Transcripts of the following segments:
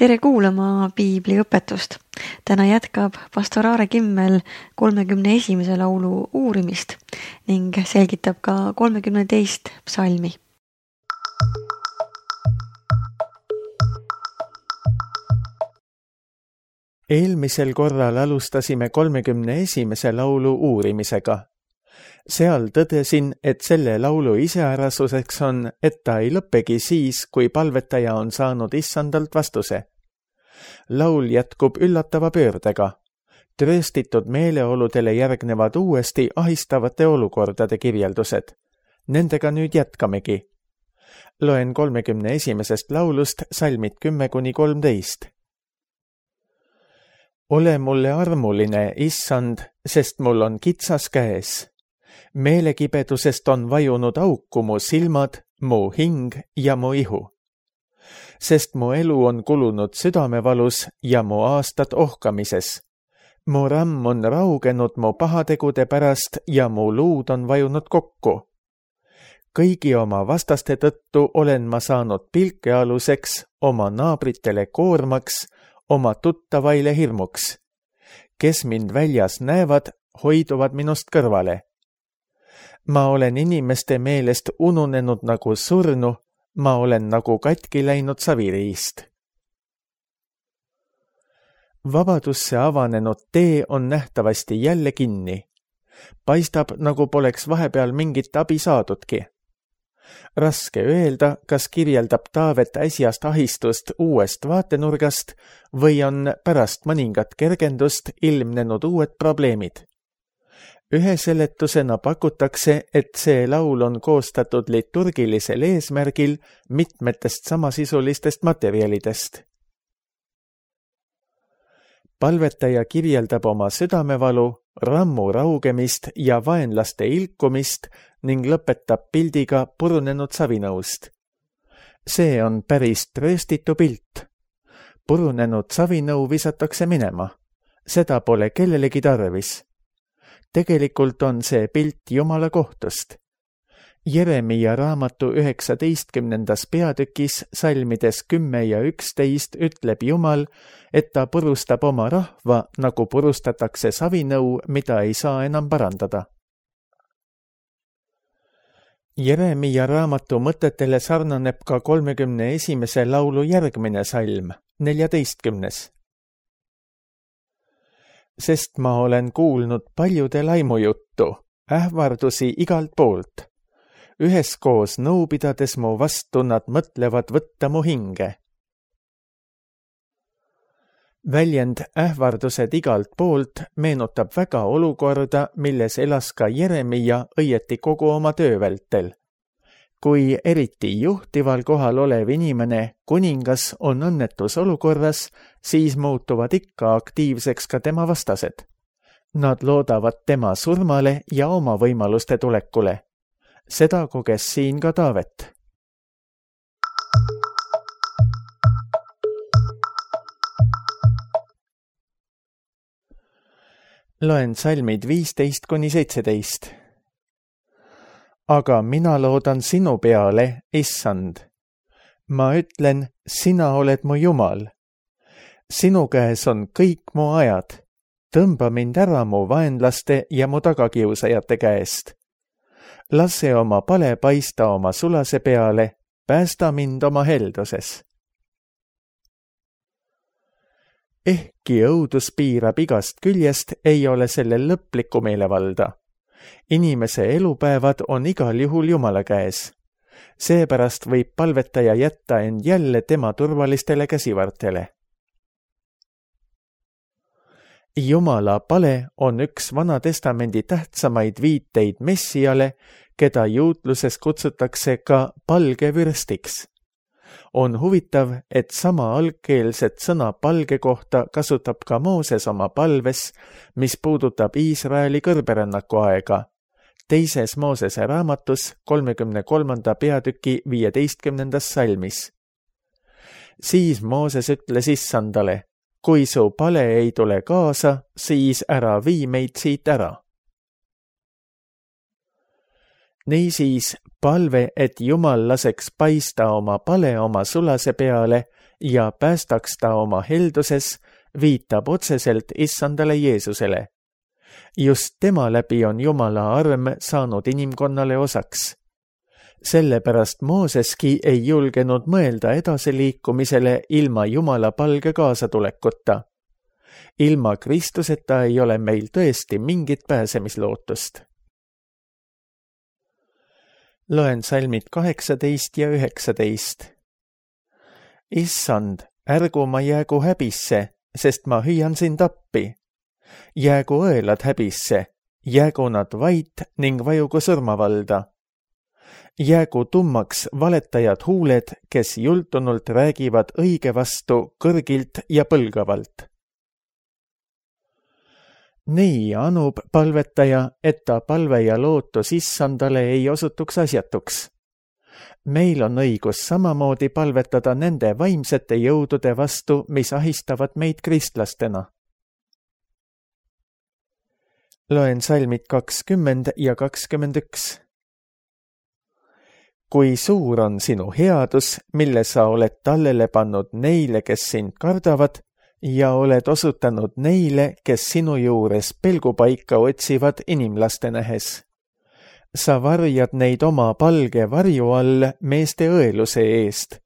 Tere kuulama piibliõpetust. Täna jätkab pastor Aare Kimmel 31. laulu uurimist ning selgitab ka 32. psalmi. Eelmisel korral alustasime 31. laulu uurimisega. Seal tõdesin, et selle laulu iseärasuseks on, et ta ei lõppegi siis, kui palvetaja on saanud issandalt vastuse. Laul jätkub üllatava pöördega. Trööstitud meeleoludele järgnevad uuesti ahistavate olukordade kirjeldused. Nendega nüüd jätkamegi. Loen 31. laulust salmid 10-13. Ole mulle armuline, issand, sest mul on kitsas käes. Meelekibedusest on vajunud auku mu silmad, mu hing ja mu ihu. Sest mu elu on kulunud südamevalus ja mu aastad ohkamises. Mu ramm on raugenud mu pahategude pärast ja mu luud on vajunud kokku. Kõigi oma vastaste tõttu olen ma saanud pilkealuseks, oma naabritele koormaks, oma tuttavaile hirmuks. Kes mind väljas näevad, hoiduvad minust kõrvale. Ma olen inimeste meelest ununenud nagu surnu, ma olen nagu katki läinud saviriist. Vabadusse avanenud tee on nähtavasti jälle kinni. Paistab, nagu poleks vahepeal mingit abi saadudki. Raske öelda, kas kirjeldab Taavet äsjast ahistust uuest vaatenurgast või on pärast mõningat kergendust ilmnenud uued probleemid. Ühe seletusena pakutakse, et see laul on koostatud liturgilisel eesmärgil mitmetest samasisulistest materjalidest. Palvetaja kirjeldab oma südamevalu, rammu raugemist ja vaenlaste ilkumist ning lõpetab pildiga purunenud savinõust. See on päris trööstitu pilt. Purunenud savinõu visatakse minema. Seda pole kellelegi tarvis. Tegelikult on see pilt Jumala kohtust. Jeremia raamatu 19. peatükis salmides 10 ja 11 ütleb Jumal, et ta purustab oma rahva, nagu purustatakse savinõu, mida ei saa enam parandada. Jeremia raamatu mõtetele sarnaneb ka 31. laulu järgmine salm, 14. Sest ma olen kuulnud paljude laimujuttu, ähvardusi igalt poolt. Üheskoos nõu pidades mu vastu nad mõtlevad võtta mu hinge. Väljend ähvardused igalt poolt meenutab väga olukorda, milles elas ka Jeremia õieti kogu oma töö vältel. Kui eriti juhtival kohal olev inimene, kuningas, on õnnetus olukorras, siis muutuvad ikka aktiivseks ka tema vastased. Nad loodavad tema surmale ja oma võimaluste tulekule. Seda koges siin ka Taavet. Loen salmid 15-17. Aga mina loodan sinu peale, issand. Ma ütlen, sina oled mu Jumal. Sinu käes on kõik mu ajad. Tõmba mind ära mu vaenlaste ja mu tagakiusajate käest. Lase oma pale paista oma sulase peale, päästa mind oma helduses. Ehkki õudus piirab igast küljest, ei ole sellel lõplikku meelevalda. Inimese elupäevad on igal juhul Jumala käes. Seepärast võib palvetaja jätta end jälle tema turvalistele käsivartele. Jumala pale on üks Vana Testamendi tähtsamaid viiteid Messiale, keda juutluses kutsutakse ka palge vürstiks. On huvitav, et sama algkeelset sõna palge kohta kasutab ka Mooses oma palves, mis puudutab Iisraeli kõrberännaku aega. Teises Moosese raamatus 33. peatüki 15. salmis. Siis Mooses ütles issandale, kui su pale ei tule kaasa, siis ära vii meid siit ära. Niisiis palve, et Jumal laseks paista oma pale oma sulase peale ja päästaks ta oma helduses, viitab otseselt issandale Jeesusele. Just tema läbi on Jumala arm saanud inimkonnale osaks. Sellepärast Mooseski ei julgenud mõelda edasiliikumisele ilma Jumala palge kaasatulekuta. Ilma Kristuseta ei ole meil tõesti mingit pääsemislootust. Loen salmid 18 ja 19. Issand, ärgu ma jäägu häbisse, sest ma hüüan sind appi. Jäägu õelad häbisse, jäägu nad vait ning vajugu surmavalda. Jäägu tummaks valetajad huuled, kes jultunult räägivad õige vastu kõrgilt ja põlgavalt. Nii anub palvetaja, et ta palve ja lootus issandale ei osutuks asjatuks. Meil on õigus samamoodi palvetada nende vaimsete jõudude vastu, mis ahistavad meid kristlastena. Loen salmid 20 ja 21. Kui suur on sinu headus, mille sa oled tallele pannud neile, kes sind kardavad, ja oled osutanud neile, kes sinu juures pelgupaika otsivad inimlaste nähes. Sa varjad neid oma palge varju all meeste õeluse eest.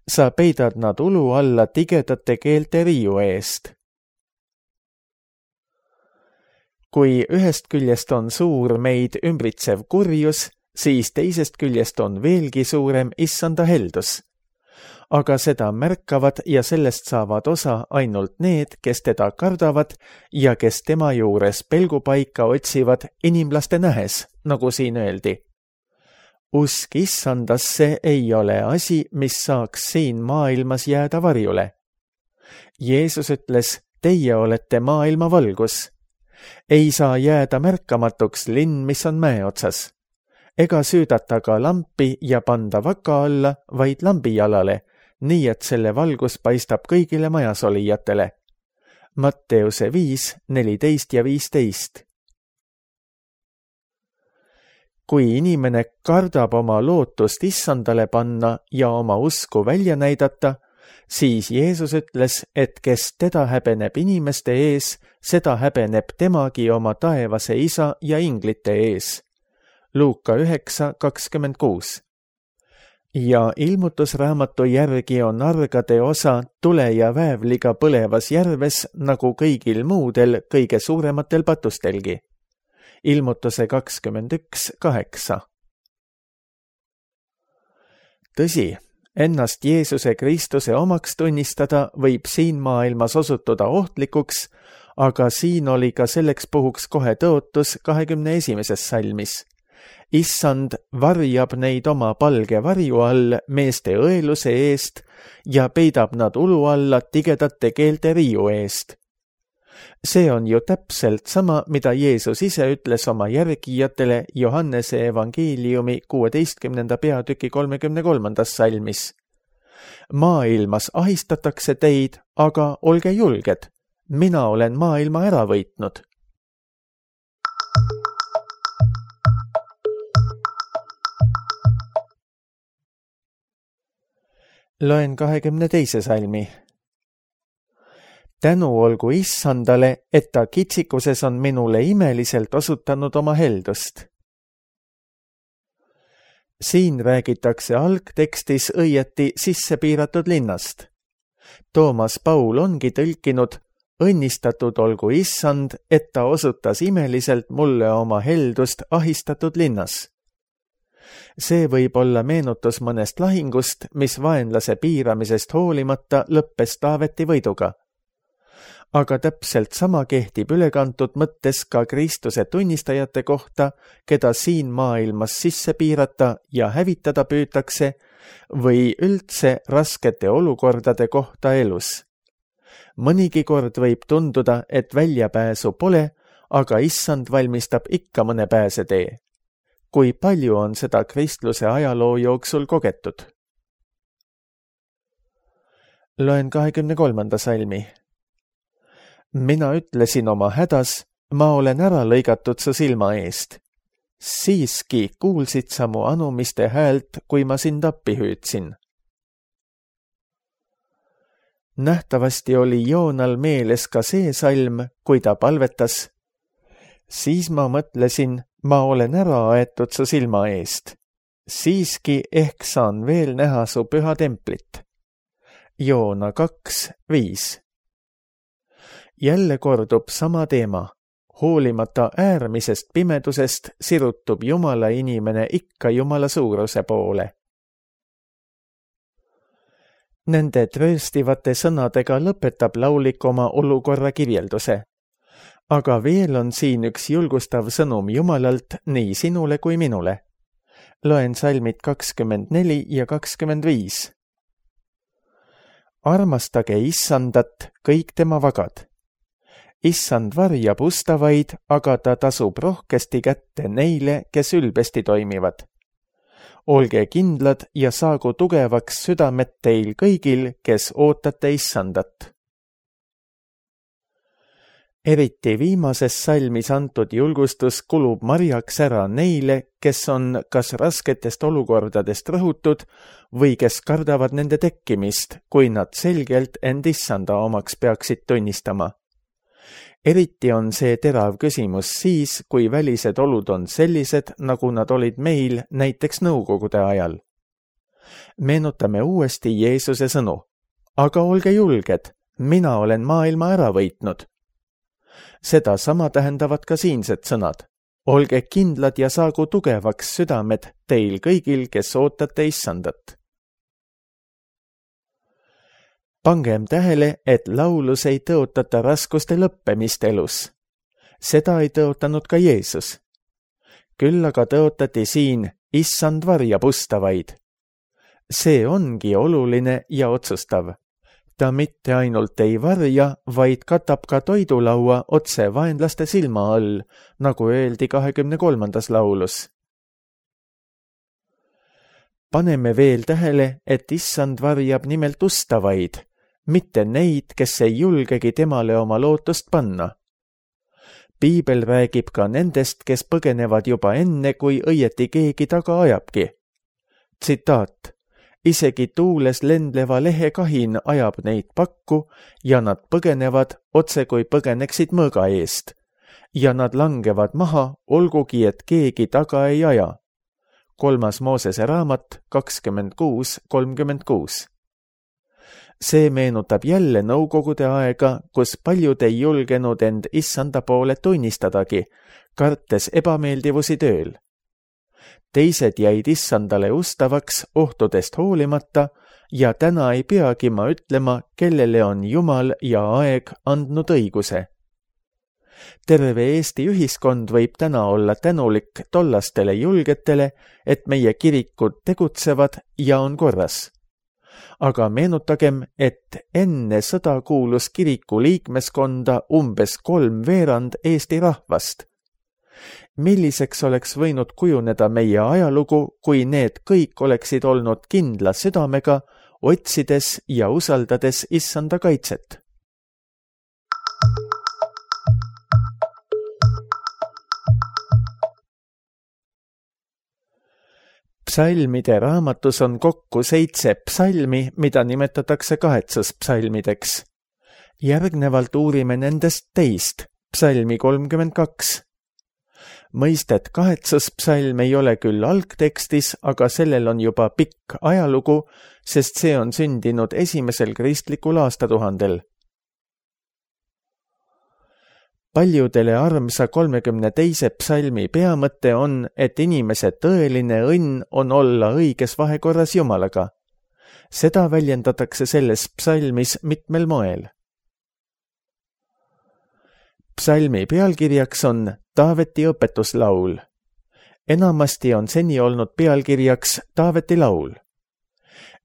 Sa peidad nad ulu alla tigedate keelte riiu eest. Kui ühest küljest on suur meid ümbritsev kurjus, siis teisest küljest on veelgi suurem issanda heldus. Aga seda märkavad ja sellest saavad osa ainult need, kes teda kardavad ja kes tema juures pelgupaika otsivad inimlaste nähes, nagu siin öeldi. Usk issandasse ei ole asi, mis saaks siin maailmas jääda varjule. Jeesus ütles, teie olete maailma valgus. Ei saa jääda märkamatuks linn, mis on mäe otsas. Ega süüdata ka lampi ja panda vaka alla, vaid lambijalale, nii et selle valgus paistab kõigile majas olijatele. Matteuse 5, 14 ja 15. Kui inimene kardab oma lootust issandale panna ja oma usku välja näidata, siis Jeesus ütles, et kes teda häbeneb inimeste ees, seda häbeneb temagi oma taevase isa ja inglite ees. Luuka 9, 26. Ja ilmutusraamatu järgi on argade osa tule ja väävliga põlevas järves nagu kõigil muudel kõige suurematel patustelgi. Ilmutuse 21, 8. Tõsi, ennast Jeesuse Kristuse omaks tunnistada võib siin maailmas osutuda ohtlikuks, aga siin oli ka selleks puhuks kohe tõotus 21. salmis. Issand varjab neid oma palge varju all meeste õeluse eest ja peidab nad ulu alla tigedate keelte riiu eest. See on ju täpselt sama, mida Jeesus ise ütles oma järgijatele Johannese evangeeliumi 16. peatüki 33. salmis. Maailmas ahistatakse teid, aga olge julged, mina olen maailma ära võitnud. Loen 22. salmi. Tänu olgu issandale, et ta kitsikuses on minule imeliselt osutanud oma heldust. Siin räägitakse algtekstis õieti sisse piiratud linnast. Toomas Paul ongi tõlkinud, õnnistatud olgu issand, et ta osutas imeliselt mulle oma heldust ahistatud linnas. See võib olla meenutus mõnest lahingust, mis vaenlase piiramisest hoolimata lõppes Taaveti võiduga. Aga täpselt sama kehtib ülekantud mõttes ka Kristuse tunnistajate kohta, keda siin maailmas sisse piirata ja hävitada püütakse, või üldse raskete olukordade kohta elus. Mõnigi kord võib tunduda, et väljapääsu pole, aga issand valmistab ikka mõne pääsetee. Kui palju on seda kristluse ajaloo jooksul kogetud? Loen 23. salmi. Mina ütlesin oma hädas, ma olen ära lõigatud su silma eest. Siiski kuulsid sa mu anumiste häält, kui ma sind appi hüüdsin. Nähtavasti oli Joonal meeles ka see salm, kui ta palvetas. Siis ma mõtlesin, ma olen ära aetud su silma eest. Siiski ehk saan veel näha su püha templit. Joona 2:5. Jälle kordub sama teema. Hoolimata äärmisest pimedusest sirutub Jumala inimene ikka Jumala suuruse poole. Nende trööstivate sõnadega lõpetab laulik oma olukorra kirjelduse. Aga veel on siin üks julgustav sõnum Jumalalt nii sinule kui minule. Loen salmid 24 ja 25. Armastage Issandat, kõik tema vagad. Issand varjab ustavaid, aga ta tasub rohkesti kätte neile, kes ülbesti toimivad. Olge kindlad ja saagu tugevaks südamed teil kõigil, kes ootate Issandat. Eriti viimases salmis antud julgustus kulub marjaks ära neile, kes on kas rasketest olukordadest rõhutud või kes kardavad nende tekkimist, kui nad selgelt end Issanda omaks peaksid tunnistama. Eriti on see terav küsimus siis, kui välised olud on sellised, nagu nad olid meil näiteks nõukogude ajal. Meenutame uuesti Jeesuse sõnu. Aga olge julged, mina olen maailma ära võitnud. Seda sama tähendavad ka siinsed sõnad. Olge kindlad ja saagu tugevaks südamed teil kõigil, kes ootate Issandat. Pangem tähele, et laulus ei tõotata raskuste lõppemist elus. Seda ei tõotanud ka Jeesus. Küll aga tõotati siin Issand varjab ustavaid. See ongi oluline ja otsustav. Ta mitte ainult ei varja, vaid katab ka toidulaua otse vaenlaste silma all, nagu öeldi 23. laulus. Paneme veel tähele, et Issand varjab nimelt ustavaid, mitte neid, kes ei julgegi temale oma lootust panna. Piibel räägib ka nendest, kes põgenevad juba enne, kui õieti keegi taga ajabki. Tsitaat. Isegi tuules lendleva lehekahin ajab neid pakku ja nad põgenevad otse kui põgeneksid mõõga eest. Ja nad langevad maha, olgugi et keegi taga ei aja. 3. Moosese raamat 26:36. See meenutab jälle nõukogude aega, kus paljud ei julgenud end Issanda poole tunnistadagi, kartes ebameeldivusi tööl. Teised jäid Issandale ustavaks ohtudest hoolimata ja täna ei peagi ma ütlema, kellele on Jumal ja aeg andnud õiguse. Terve Eesti ühiskond võib täna olla tänulik tollastele julgetele, et meie kirikud tegutsevad ja on korras. Aga meenutagem, et enne sõda kuulus kiriku liikmeskonda umbes 3/4 Eesti rahvast. Milliseks oleks võinud kujuneda meie ajalugu, kui need kõik oleksid olnud kindla südamega, otsides ja usaldades Issanda kaitset? Psalmide raamatus on kokku 7 psalmi, mida nimetatakse kahetsuspsalmideks. Järgnevalt uurime nendest teist, psalmi 32. Mõistet kahetsuspsalm ei ole küll algtekstis, aga sellel on juba pikk ajalugu, sest see on sündinud esimesel kristlikul aastatuhandel. Paljudele armsa 32. psalmi peamõte on, et inimese tõeline õnn on olla õiges vahekorras Jumalaga. Seda väljendatakse selles psalmis mitmel moel. Psalmi pealkirjaks on Taaveti õpetuslaul. Enamasti on seni olnud pealkirjaks Taaveti laul.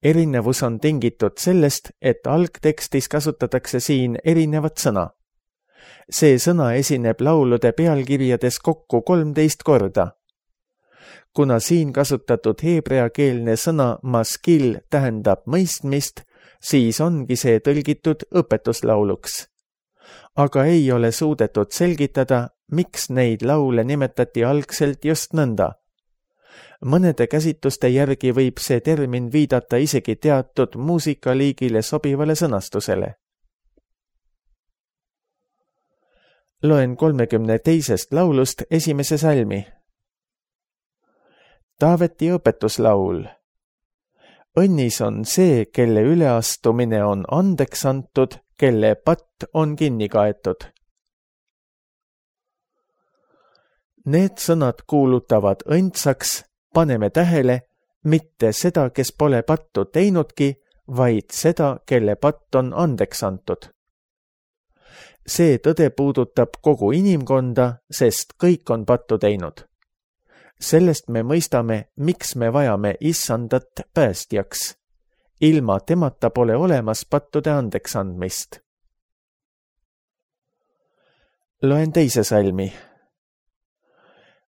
Erinevus on tingitud sellest, et algtekstis kasutatakse siin erinevat sõna. See sõna esineb laulude pealkirjades kokku 13 korda. Kuna siin kasutatud heebreakeelne sõna maskil tähendab mõistmist, siis ongi see tõlgitud õpetuslauluks. Aga ei ole suudetud selgitada, miks neid laule nimetati algselt just nõnda. Mõnede käsitluste järgi võib see termin viidata isegi teatud muusikaliigile sobivale sõnastusele. Loen 32. laulust esimese salmi. Taaveti õpetuslaul. Õnnis on see, kelle üleastumine on andeks antud, kelle patt on kinni kaetud. Need sõnad kuulutavad õndsaks, paneme tähele, mitte seda, kes pole pattu teinudki, vaid seda, kelle patt on andeks antud. See tõde puudutab kogu inimkonda, sest kõik on pattu teinud. Sellest me mõistame, miks me vajame Issandat päästjaks. Ilma temata pole olemas pattude andeks andmist. Loen teise salmi.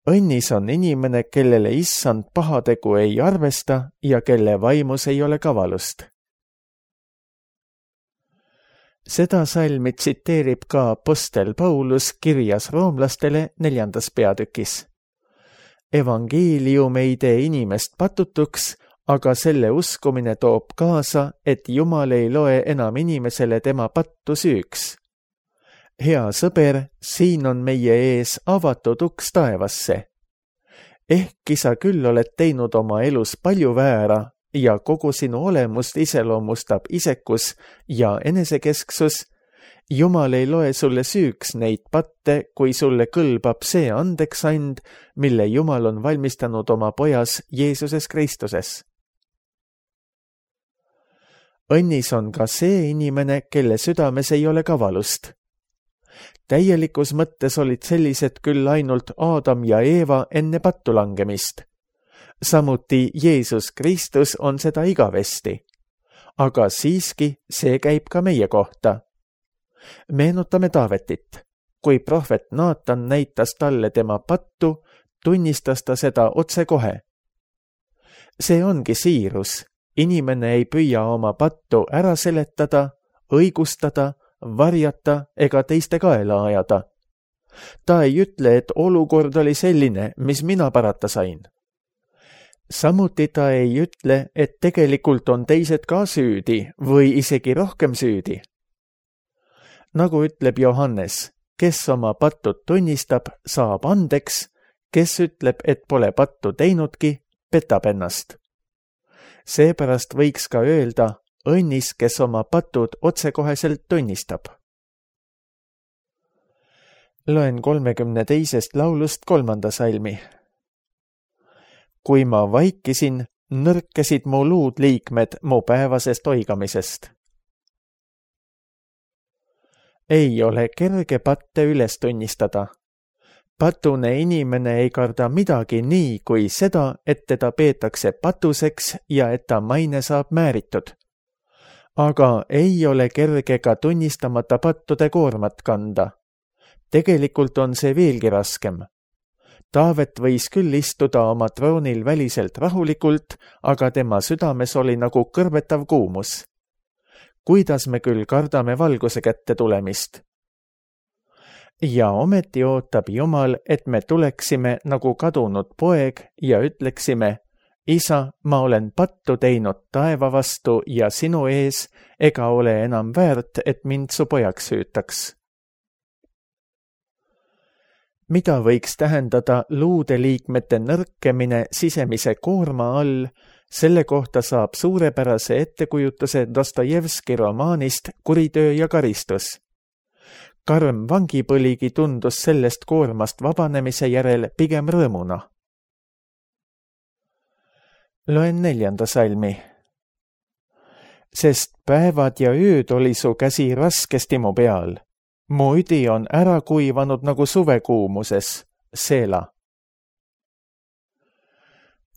Õnnis on inimene, kellele Issand pahategu ei arvesta ja kelle vaimus ei ole kavalust. Seda salmi tsiteerib ka apostel Paulus kirjas roomlastele 4. peatükis. Evangeelium ei tee inimest patutuks, aga selle uskumine toob kaasa, et Jumal ei loe enam inimesele tema pattu süüks. Hea sõber, siin on meie ees avatud uks taevasse. Ehkki sa küll oled teinud oma elus palju väära ja kogu sinu olemust iseloomustab isekus ja enesekesksus, Jumal ei loe sulle süüks neid patte, kui sulle kõlbab see andeksand, mille Jumal on valmistanud oma pojas Jeesuses Kristuses. Õnnis on ka see inimene, kelle südames ei ole kavalust. Täielikus mõttes olid sellised küll ainult Aadam ja Eeva enne pattu langemist. Samuti Jeesus Kristus on seda igavesti. Aga siiski see käib ka meie kohta. Meenutame Taavetit. Kui prohvet Naatan näitas talle tema pattu, tunnistas ta seda otsekohe. See ongi siirus. Inimene ei püüa oma pattu ära seletada, õigustada, varjata ega teiste kaela ajada. Ta ei ütle, et olukord oli selline, mis mina parata sain. Samuti ta ei ütle, et tegelikult on teised ka süüdi või isegi rohkem süüdi. Nagu ütleb Johannes, kes oma pattud tunnistab, saab andeks, kes ütleb, et pole pattu teinudki, petab ennast. Seepärast võiks ka öelda, õnnis, kes oma patud otsekoheselt tunnistab. Loen 32. laulust 3. salmi. Kui ma vaikisin, nõrkesid mu luudliikmed mu päevasest oigamisest. Ei ole kerge patte üles tunnistada. Patune inimene ei karda midagi nii kui seda, et teda peetakse patuseks ja et ta maine saab määritud. Aga ei ole kerge ka tunnistamata pattude koormat kanda. Tegelikult on see veelgi raskem. Taavet võis küll istuda oma troonil väliselt rahulikult, aga tema südames oli nagu kõrbetav kuumus. Kuidas me küll kardame valguse kätte tulemist? Ja ometi ootab Jumal, et me tuleksime nagu kadunud poeg ja ütleksime, Isa, ma olen pattu teinud taeva vastu ja sinu ees, ega ole enam väärt, et mind su pojaks hüütaks. Mida võiks tähendada luudeliikmete nõrkemine sisemise koorma all, selle kohta saab suurepärase ettekujutuse Dostojevski romaanist Kuritöö ja karistus. Karm vangipõligi tundus sellest koormast vabanemise järel pigem rõõmuna. Loen 4. salmi. Sest päevad ja ööd oli su käsi raskesti mu peal. Mu üdi on ära kuivanud nagu suvekuumuses, Seela.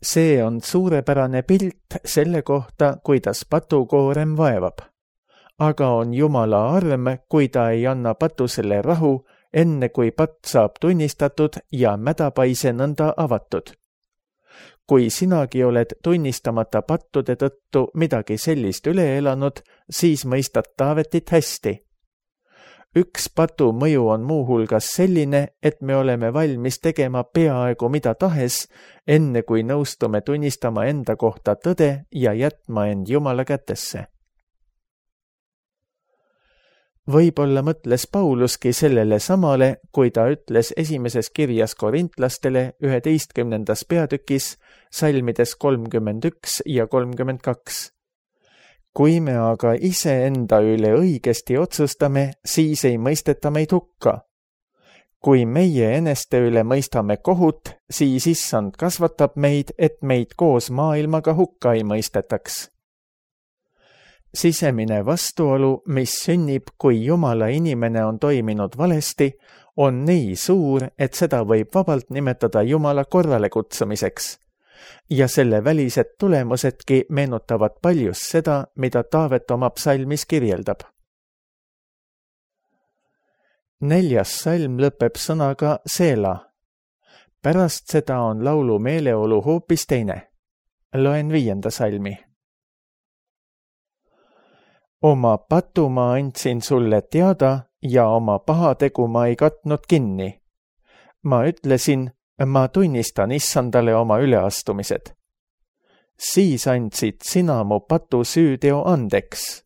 See on suurepärane pilt selle kohta, kuidas patukoorem vaevab. Aga on Jumala arm, kui ta ei anna patusele rahu, enne kui patt saab tunnistatud ja mädapaise nõnda avatud. Kui sinagi oled tunnistamata pattude tõttu midagi sellist üle elanud, siis mõistad Taavetit hästi. Üks patu mõju on muuhulgas selline, et me oleme valmis tegema peaaegu mida tahes, enne kui nõustume tunnistama enda kohta tõde ja jätma end Jumala kätesse. Võib-olla mõtles Pauluski sellele samale, kui ta ütles esimeses kirjas korintlastele 11. peatükis salmides 31 ja 32. Kui me aga iseenda üle õigesti otsustame, siis ei mõisteta meid hukka. Kui meie eneste üle mõistame kohut, siis Issand kasvatab meid, et meid koos maailmaga hukka ei mõistetaks. Sisemine vastuolu, mis sünnib, kui Jumala inimene on toiminud valesti, on nii suur, et seda võib vabalt nimetada Jumala korrale kutsumiseks. Ja selle välised tulemusedki meenutavad paljus seda, mida Taavet oma psalmis kirjeldab. 4. salm lõpeb sõnaga Seela. Pärast seda on laulu meeleolu hoopis teine. Loen 5. salmi. Oma patu ma andsin sulle teada ja oma pahategu ma ei katnud kinni. Ma ütlesin, ma tunnistan Issandale oma üleastumised. Siis andsid sina mu patu süüteo andeks.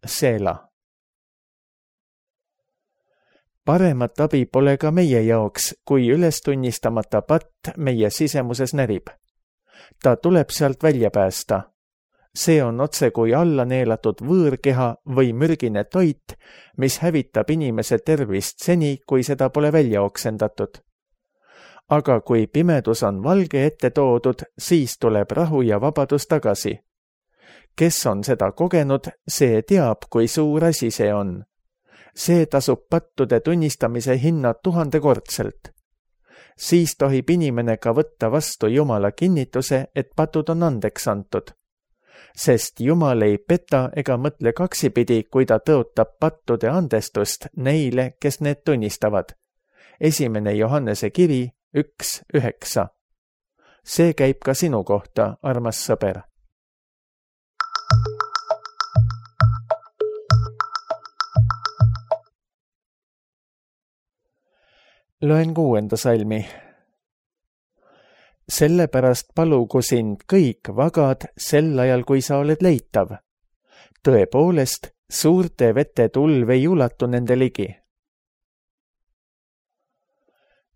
Seela. Paremat abi pole ka meie jaoks, kui üles tunnistamata patt meie sisemuses närib. Ta tuleb sealt välja päästa. See on otse kui alla neelatud võõrkeha või mürgine toit, mis hävitab inimese tervist seni, kui seda pole välja oksendatud. Aga kui pimedus on valge ette toodud, siis tuleb rahu ja vabadus tagasi. Kes on seda kogenud, see teab, kui suur asi see on. See tasub pattude tunnistamise hinna 1000-kordselt. Siis tohib inimene ka võtta vastu Jumala kinnituse, et patud on andeks antud. Sest Jumal ei peta ega mõtle kaksipidi, kui ta tõotab pattude andestust neile, kes need tunnistavad. 1. Johannese kiri 1:9. See käib ka sinu kohta, armas sõber. Loen 6. salmi. Sellepärast palugu sind kõik vagad sel ajal, kui sa oled leitav. Tõepoolest, suurte vete tulv ei ulatu nende ligi.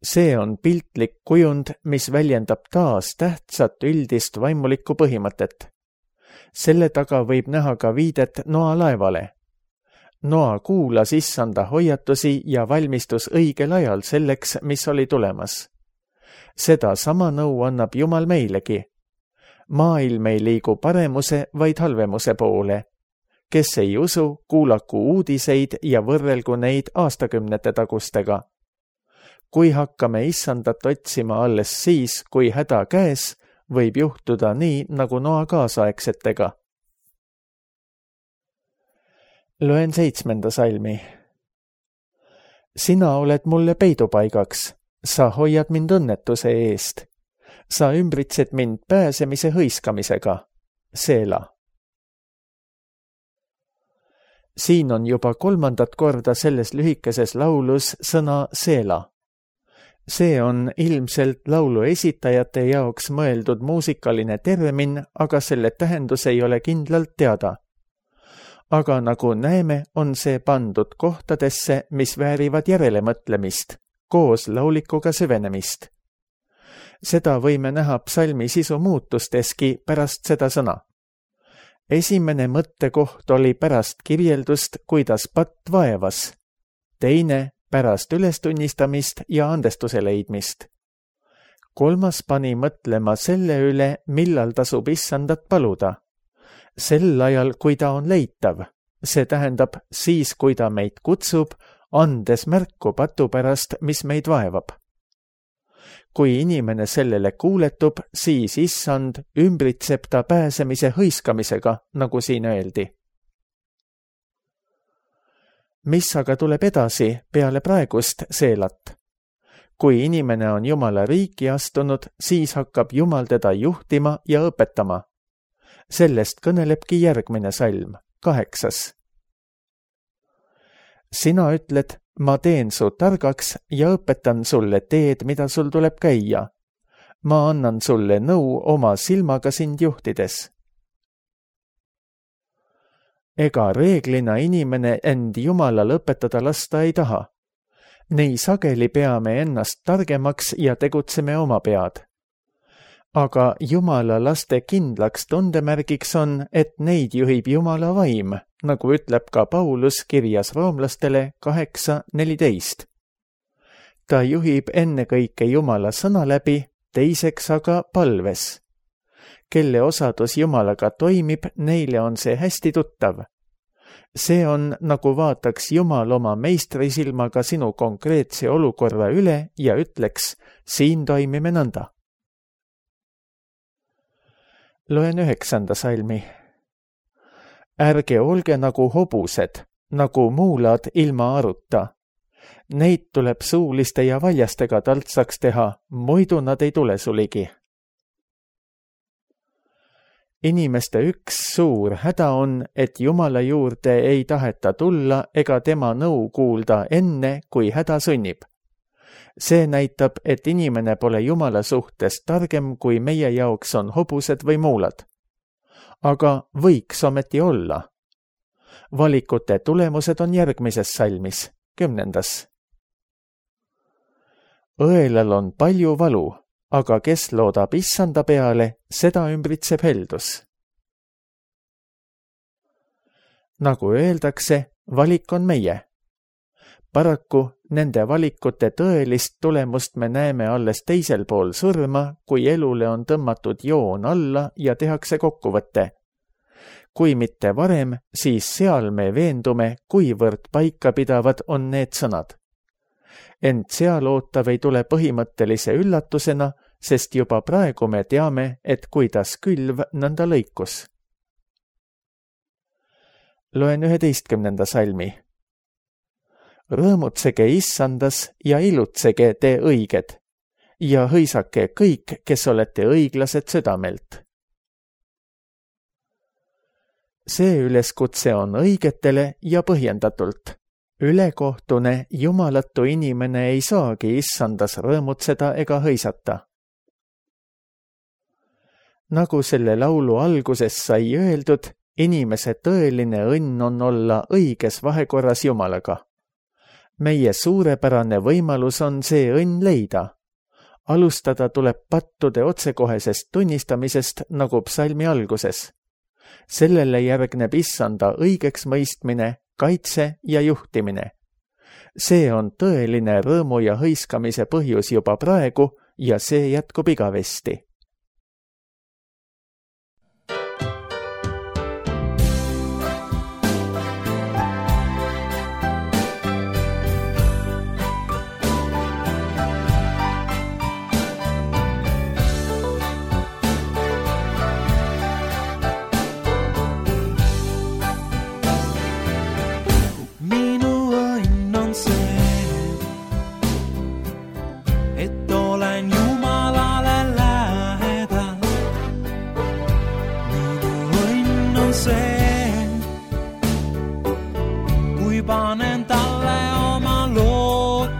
See on piltlik kujund, mis väljendab taas tähtsat üldist vaimulikku põhimõtet. Selle taga võib näha ka viidet Noa laevale. Noa kuulas Issanda hoiatusi ja valmistus õigel ajal selleks, mis oli tulemas. Seda sama nõu annab Jumal meilegi. Maailm ei liigu paremuse, vaid halvemuse poole. Kes ei usu, kuulaku uudiseid ja võrrelgu neid aastakümnete tagustega. Kui hakkame Issandat otsima alles siis, kui häda käes, võib juhtuda nii, nagu Noa kaasaegsetega. Loen 7. salmi. Sina oled mulle peidupaigaks. Sa hoiad mind õnnetuse eest. Sa ümbritsed mind pääsemise hõiskamisega. Seela. Siin on juba 3. korda selles lühikeses laulus sõna Seela. See on ilmselt laulu esitajate jaoks mõeldud muusikaline termin, aga selle tähendus ei ole kindlalt teada. Aga nagu näeme, on see pandud kohtadesse, mis väärivad järelemõtlemist, koos laulikuga süvenemist. Seda võime näha psalmi sisu muutusteski pärast seda sõna. Esimene mõttekoht oli pärast kirjeldust, kuidas patt vaevas. Teine pärast ülestunnistamist ja andestuse leidmist. 3. pani mõtlema selle üle, millal tasub Issandat paluda. Sel ajal, kui ta on leitav. See tähendab siis, kui ta meid kutsub, andes märku patu pärast, mis meid vaevab. Kui inimene sellele kuuletub, siis Issand ümbritseb ta pääsemise hõiskamisega, nagu siin öeldi. Mis aga tuleb edasi peale praegust Seelat? Kui inimene on Jumala riiki astunud, siis hakkab Jumal teda juhtima ja õpetama. Sellest kõnelebki järgmine salm, 8. sina ütled, ma teen su targaks ja õpetan sulle teed, mida sul tuleb käia. Ma annan sulle nõu oma silmaga sind juhtides. Ega reeglina inimene end Jumalal õpetada lasta ei taha. Nii sageli peame ennast targemaks ja tegutseme oma pead. Aga Jumala laste kindlaks tundemärgiks on, et neid juhib Jumala vaim, nagu ütleb ka Paulus kirjas roomlastele 8:14. Ta juhib ennekõike Jumala sõna läbi, teiseks aga palves. Kelle osadus Jumalaga toimib, neile on see hästi tuttav. See on, nagu vaataks Jumal oma meistrisilmaga sinu konkreetse olukorra üle ja ütleks, siin toimime nõnda. Loen 9. salmi. Ärge olge nagu hobused, nagu muulad ilma aruta. Neid tuleb suuliste ja valjastega taltsaks teha, muidu nad ei tule suligi. Inimeste üks suur häda on, et Jumala juurde ei taheta tulla ega tema nõu kuulda enne, kui häda sunnib. See näitab, et inimene pole Jumala suhtes targem, kui meie jaoks on hobused või muulad. Aga võiks ometi olla. Valikute tulemused on järgmises salmis, 10. Õelal on palju valu, aga kes loodab issanda peale, seda ümbritseb heldus. Nagu öeldakse, valik on meie. Paraku nende valikute tõelist tulemust me näeme alles teisel pool surma, kui elule on tõmmatud joon alla ja tehakse kokkuvõte. Kui mitte varem, siis seal me veendume, kuivõrd paikapidavad on need sõnad. Ent seal ootav ei tule põhimõttelise üllatusena, sest juba praegu me teame, et kuidas külv nõnda lõikus. Loen 11. salmi. Rõõmutsege issandas ja ilutsege te õiged ja hõisake kõik, kes olete õiglased südamelt. See üleskutse on õigetele ja põhjendatult. Ülekohtune jumalatu inimene ei saagi issandas rõõmutseda ega hõisata. Nagu selle laulu alguses sai öeldud, inimese tõeline õnn on olla õiges vahekorras Jumalaga. Meie suurepärane võimalus on see õnn leida. Alustada tuleb pattude otsekohesest tunnistamisest nagu psalmi alguses. Sellele järgneb issanda õigeks mõistmine, kaitse ja juhtimine. See on tõeline rõõmu ja hõiskamise põhjus juba praegu ja see jätkub igavesti. Panen talle oma lootuse,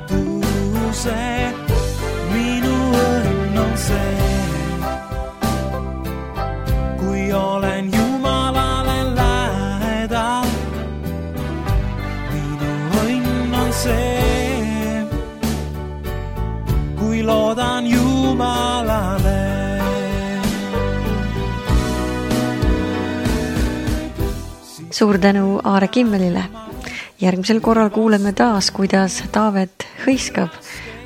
minu õnn on see. Kui olen Jumalale lähedal, minu õnn on see. Kui loodan Jumalale. Suur tänu Aare Kimmelile. Järgmisel korral kuuleme taas, kuidas Taavet hõiskab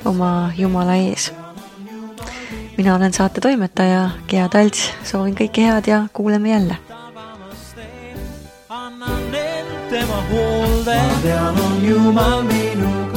oma Jumala ees. Mina olen saate toimetaja Gea Talts, soovin kõike head ja kuuleme jälle. Annan end tema hoolde, ma tean on Jumal minuga.